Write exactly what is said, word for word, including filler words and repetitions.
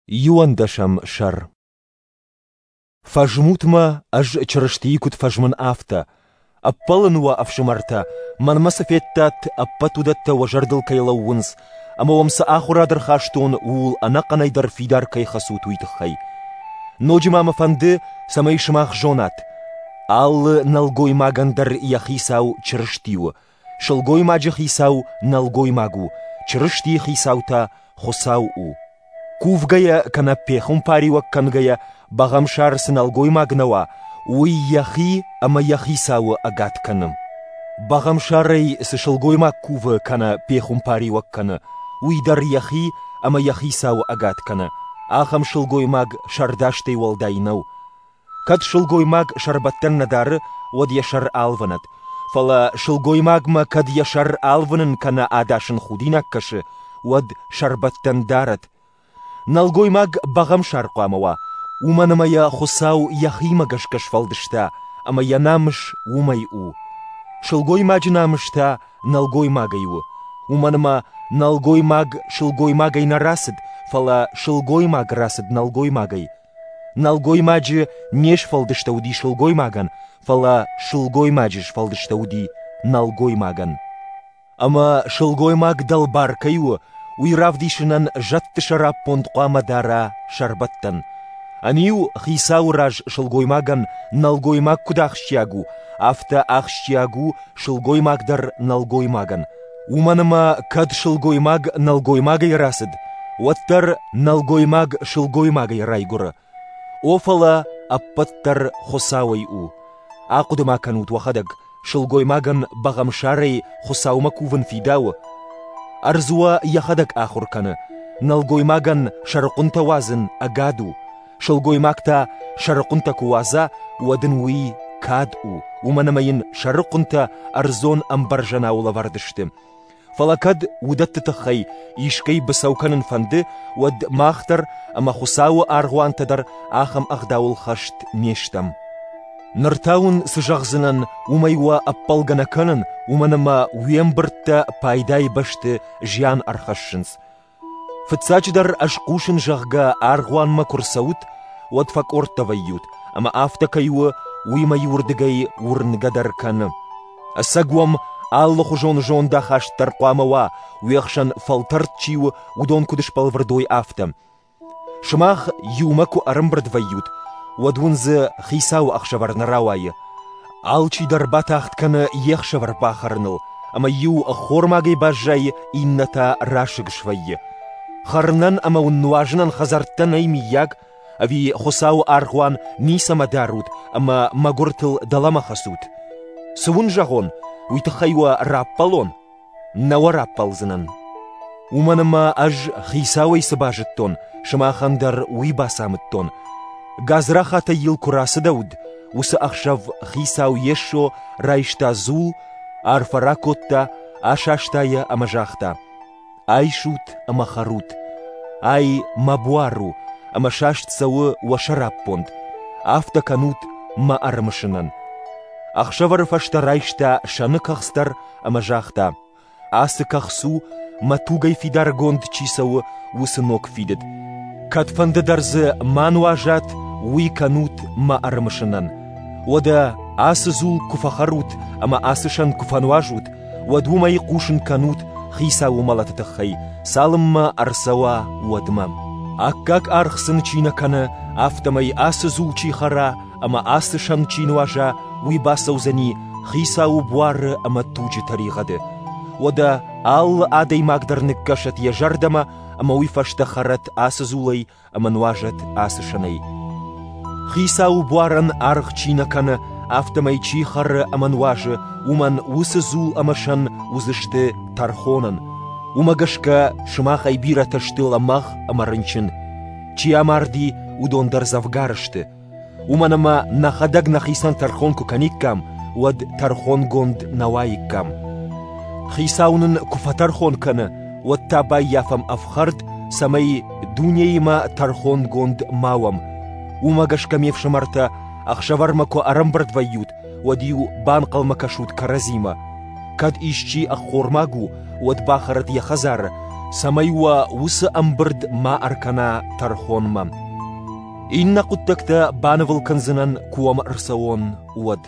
Иуӕндӕсӕм сӕр. Фӕзмут мӕ, ӕз Чырыстийы куыд фӕзмын, афтӕ. Ӕппӕлын уӕ, ӕфсымӕртӕ, мӕнмӕ цы федтат, ӕппӕт уыдӕттӕ уӕ зӕрдыл кӕй лӕууынц, ӕмӕ уӕм цы ахуырад ӕрхастон, ууыл ӕнӕхъӕнӕй дӕр фидар кӕй хӕцут, уый тыххӕй. Ноджы ма мӕ фӕнды, цӕмӕй сымах зонат: алы нӕлгоймагӕн дӕр йӕ хицау Чырысти у, сылгоймаджы хицау нӕлгоймаг у, Чырыстийы хицау та Хуыцау у. Кувгӕйӕ кӕнӕ пехуымпариуӕг кӕнгӕйӕ бӕгъӕмсар цы нӕлгоймаг нӕ уа, уый йӕхи ӕмӕ йӕ хицауы ӕгад кӕны. Бӕгъӕмсарӕй цы сылгоймаг кувы кӕнӕ пехуымпариуӕг кӕны, уый дӕр йӕхи ӕмӕ йӕ хицауы ӕгад кӕны. Ахӕм сылгоймаг сӕрдастӕй уӕлдай нӕу. Кӕд сылгоймаг сӕрбӕттӕн нӕ дары, уӕд йӕ сӕр алвынӕд. Фӕлӕ сылгоймагмӕ кӕд йӕ сӕр алвынын кӕнӕ адасын худинаг кӕсы, уӕд сӕрбӕттӕн дарӕд. Нӕлгоймаг бӕгъӕмсар хъуамӕ уа, уымӕн ӕмӕ йӕ Хуыцау йӕхимӕ гӕсгӕ сфӕлдыста, ӕмӕ йӕ намыс уымӕй у. Сылгоймаджы намыс та нӕлгоймагӕй у, уымӕн ӕмӕ нӕлгоймаг сылгоймагӕй нӕ рацыд, фӕлӕ сылгоймаг рацыд нӕлгоймагӕй. Нӕлгоймаджы не сфӕлдыстӕуыди сылгоймагӕн, фӕлӕ сылгоймаджы сфӕлдыстӕуыди нӕлгоймагӕн. Ӕмӕ сылгоймаг дӕлбар кӕй у, уый равдисынӕн зӕдты сӕраппонд хъуамӕ дара сӕрбӕттӕн. Ӕниу хицауы раз сылгоймагӕн нӕлгоймаг куыд ахсджиаг у, афтӕ ахсджиаг у сылгоймаг дӕр нӕлгоймагӕн. Уымӕн ӕмӕ кӕд сылгоймаг нӕлгоймагӕй рацыд, уӕддӕр нӕлгоймаг сылгоймагӕй райгуыры. О, фӕлӕ ӕппӕт дӕр Хуыцауӕй у. Ахъуыды ма кӕнут уӕхӕдӕг, сылгоймагӕн бӕгъӕмсарӕй Хуыцаумӕ кувын фидауы? Ӕрдз уӕ йӕхӕдӕг ахуыр кӕны. Нӕлгоймагӕн сӕрыхъуынтӕ уадзын ӕгад у. Сылгоймаг та сӕрыхъуынтӕ куы уадза, уӕд ын уый кад у, уымӕн ӕмӕ йын сӕрыхъуынтӕ ӕрдзон ӕмбӕрзӕнау лӕвӕрд сты. Фӕлӕ кӕд уыдӕтты тыххӕй искӕй быцӕу кӕнын фӕнды, уӕд мах дӕр ӕмӕ Хуыцауы аргъуантӕ дӕр ахӕм ӕгъдауыл хӕст не стӕм. Ныр та уын цы зӕгъдзынӕн, уымӕй уӕ ӕппӕлгӕ нӕ кӕнын, уымӕн ӕмӕ уе мбырдтӕ пайдайы бӕсты зиан ӕрхӕссынц. Фыццаджыдӕр ӕз хъусын, зӕгъгӕ, аргъуанмӕ куы рцӕут, уӕд фӕкъордтӕ вӕййут, ӕмӕ афтӕ кӕй у, уый мӕ иуырдыгӕй уырнгӕ дӕр кӕны. Ӕцӕг уӕм алыхуызон зондахаст дӕр хъуамӕ уа, уе хсӕн фӕлтӕрд чи у, уыдон куыд сбӕлвырд уой, афтӕ. Сымах иумӕ куы ӕрӕмбырд вӕййут, уӕд уын дзы хицауы ӕхсӕвӕр нӕ рауайы. Алчидӕр батагъд кӕны йе хсӕвӕр бахӕрыныл, ӕмӕ иу ӕххормагӕй баззайы, иннӕ та расыг свӕййы. Хӕрынӕн ӕмӕ уын нуазынӕн хӕдзӕрттӕ нӕй миййаг, ӕви Хуыцауы аргъуан ницӕмӕ дарут ӕмӕ мӕгуыртыл дӕлӕмӕ хӕцут? Цы уын зӕгъон, уый тыххӕй уӕ раппӕлон? Нӕ уӕ раппӕлдзынӕн. Уымӕн ӕмӕ ӕз хицауӕй цы базыдтон, сымахӕн дӕр уый бацамыдтон. Гадзрахатӕй йыл куы рацыдӕуыд, уыцы ӕхсӕв хицау Йесо райста дзул, арфӕ ракодта, асаста йӕ ӕмӕ загъта: «Айсут ӕмӕ хӕрут. Ай мӕ буар у, ӕмӕ саст цӕуы уӕ сӕраппонд. Афтӕ кӕнут мӕ ӕрымысынӕн». Ӕхсӕвӕры фӕстӕ райста сӕны кӕхц дӕр ӕмӕ загъта: «Ацы кӕхц у, мӕ тугӕй фидаргонд чи цӕуы, уыцы ног фидыд. Кӕдфӕнды дӕр дзы ма нуазат, уый кӕнут мӕ ӕрымысынӕн. Уӕдӕ ацы дзул куы фӕхӕрут ӕмӕ ацы сӕн куы фӕнуазут, уӕд уымӕй хъусын кӕнут хицауы мӕлӕты тыххӕй, цалынмӕ ӕрцӕуа, уӕдмӕ. Аккаг аргъ сын чи нӕ кӕны, афтӕмӕй ацы дзул чи хӕра ӕмӕ ацы сӕн чи нуаза, уый бацӕудзӕни хицауы буары ӕмӕ туджы тӕригъӕды. Уӕдӕ алы адӕймаг дӕр ныккӕсӕд йӕ зӕрдӕмӕ ӕмӕ уый фӕстӕ хӕрӕд ацы дзулӕй ӕмӕ нуазӕд ацы сӕнӕй. Хицауы буарӕн аргъ чи нӕ кӕны, афтӕмӕй чи хӕры ӕмӕ нуазы, уымӕн уыцы дзул ӕмӕ сӕн уыдзысты тӕрхонӕн. Уымӕ гӕсгӕ сымахӕй бирӕтӕ сты лӕмӕгъ ӕмӕ рынчын. Чи амарди, уыдон дӕр дзӕвгар сты. Уымӕн ӕмӕ нӕхӕдӕг нӕхицӕн тӕрхон куы кӕниккам, уӕд тӕрхонгонд нӕ уаиккам. Хицау нын куы фӕтӕрхон кӕны, уӕд та баййафӕм ӕфхӕрд, цӕмӕй дунеимӕ тӕрхонгонд ма уӕм. Уымӕ гӕсгӕ, ме фсымӕртӕ, ӕхсӕвӕрмӕ куы ӕрӕмбырд вӕййут, уӕд-иу банхъӕлмӕ кӕсут кӕрӕдзимӕ. Кӕд исчи ӕххормаг у, уӕд бахӕрӕд йӕ хӕдзары, цӕмӕй уӕ уыцы ӕмбырд ма ӕркӕна тӕрхонмӕ. Иннӕ хъуыддӕгтӕ банывыл кӕндзынӕн, куы уӕм ӕрцӕуон, уӕд.